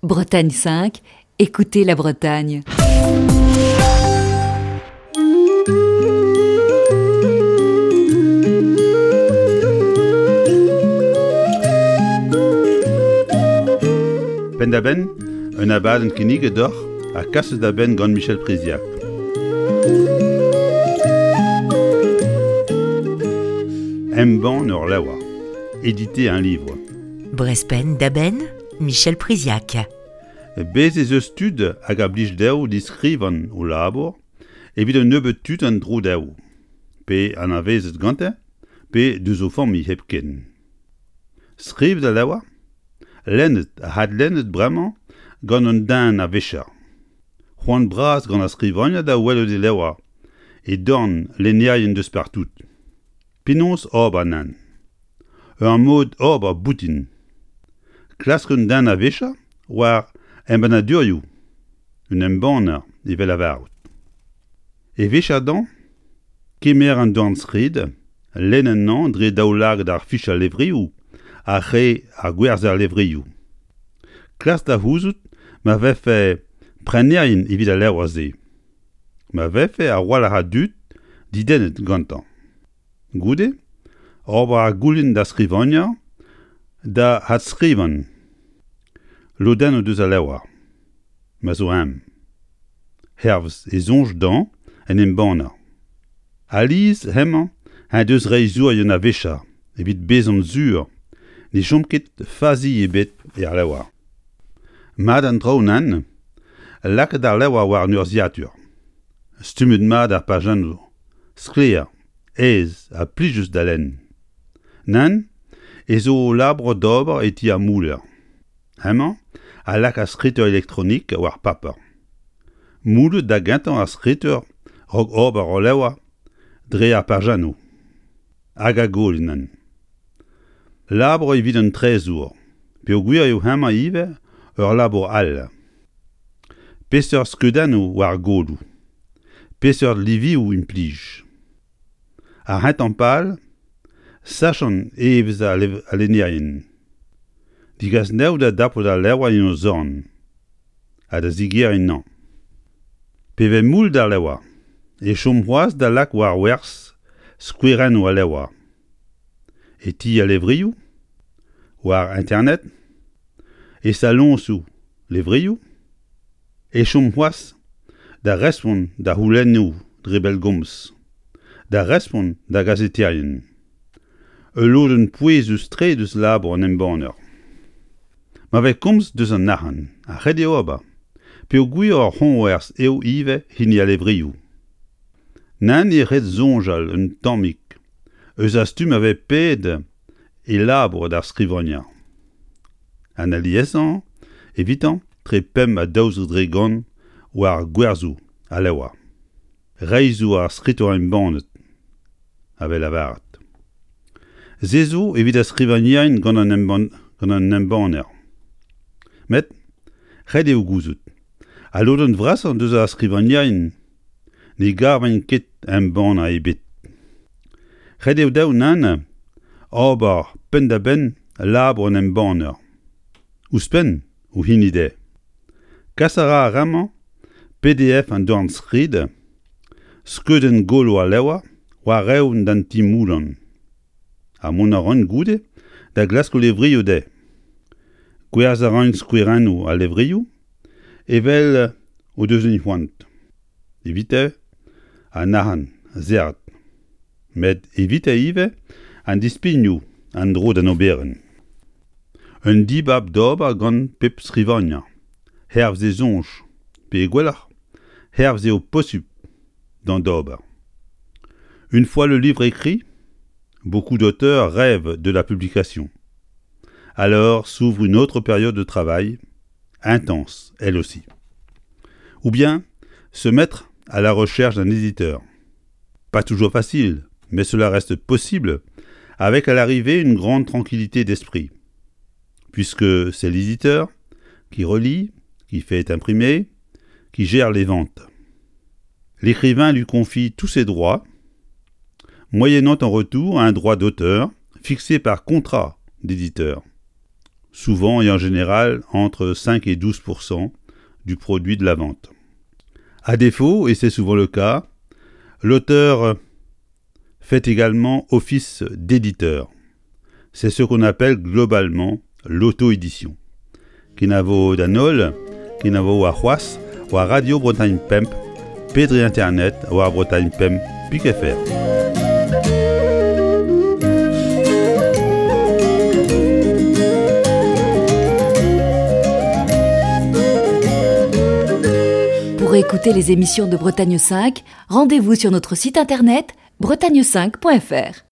Bretagne 5, écoutez la Bretagne. Penn-da-benn, un abadenn kinniget deoc'h ha kaset da benn gant Michel Priziac. Embann ur levr. Éditer un livre. Brest penn-da-benn, Michel Priziac. Bez' ez eus tud hag a blij dezho diskrivan o labour evit un nebeud tud en-dro dezho, pe anavezet gante, pe deus o familh hepken. Skrivet al levr, lennet ha adlennet bremañ gant un den a-vicher. C'hoant bras gant ar skrivagner da welout e levr e dorn lennerien deus partout. Penaos ober nann? Ur mod ober boutin. Klask un den a-wechoù war embannadurioù, un embanner evel lavarout. E wechañ kemer an dornskrid, lenn anezhañ dre daoulagad ar fichañ levrioù ha re ar gwerzher levrioù. Klask da c'houzout ma vefe prenerien evit al levr-se. Ma vefe a-walc'h a dud dedennet gantañ. Goude ober ar goulenn d'ar skrivagner da adskrivan lodennoù deus al levr, ma zo eñ, hervez e soñj dañ en embanner. Alies hemañ en deus reizhourien a-wechañ evit bezañ sur ne chom ket fazi ebet er levr. Mat an traoù nann, lakaat ar levr war an urzhiatur. Stummet mat ar pajennoù, sklaer, aes ha plijus da lenn. Nann, ez zo labour d'ober e ti ar mouller. Hemañ a lak ar skritur elektronik war paper. Moullet da gentañ ar skritur 'raok ober ul levr dre ar pajennoù. Hag a goll Labour evit an trezour, peogwir eo hemañ ivez ur labour all. Peseurt skeudennoù war goloù? Peseurt livioù implij? Ar c'hentañ pal, sachañ evezh al lennerien. Degas anezho da dapout al levr en o zorn ha da zigeriñ anezhañ. Pe vez moull d'ar levr e chom c'hoazh da lak war werzh skouerennoù al levr. E ti al levrioù, war internet, e saloñsoù levrioù, e chom c'hoazh da respont da c'houlennoù dre bellgomz, da respont da gazeterien. Ul lodenn pouezus-tre deus labour an embanner. Ma vez komz deus an arc'hant, ha ret eo ober, peogwir ur c'hoñvers eo ivez hini al levrioù. Nann eo ret soñjal un tammig eus ar stumm a vez paeet e labour d'ar skrivagner. An aliesañ evitañ tre pemp ha 12% war gwerzhoù al levr. Reizhoù ar skritur embannet a vez lavaret. Se zo evit ar skrivagnerien gant an embanner. Met ret eo gouzout, al lodenn vrasañ deus ar skrivagnerien ne gavint ket embannañ ebet. Ret eo dezho nann ober penn-da-benn labour an embanner. Ouzhpenn o hini dezhe. Kas a ra ar re-mañ PDF an dornskrid, skeudenn golo al levr war-eeun d'an ti-moullañ. Ha mont a ran goude da glask o levrioù dezhe. Gwerzhañ a ran skouerennoù al levrioù evel o deus c'hoant. Evite an arc'hant serret. Met evite ivez an dispignoù an dro d'an oberenn. Un dibab d'ober gant pep skrivagner, hervez e soñj, pe gwelloc'h, hervez eo posupl d'an d'ober. Une fois le livre écrit, beaucoup d'auteurs rêvent de la publication. Alors s'ouvre une autre période de travail, intense elle aussi. Ou bien se mettre à la recherche d'un éditeur. Pas toujours facile, mais cela reste possible avec à l'arrivée une grande tranquillité d'esprit. Puisque c'est l'éditeur qui relit, qui fait imprimer, qui gère les ventes. L'écrivain lui confie tous ses droits, moyennant en retour un droit d'auteur fixé par contrat d'éditeur. Souvent et en général entre 5 et 12% du produit de la vente. À défaut, et c'est souvent le cas, l'auteur fait également office d'éditeur. C'est ce qu'on appelle globalement l'auto-édition. Kenavo d'an holl, kenavo warc'hoazh war Radio Bretagne Pemp pe dre internet war Bretagne Pemp pik fr. Pour écouter les émissions de Bretagne 5, rendez-vous sur notre site internet bretagne5.fr.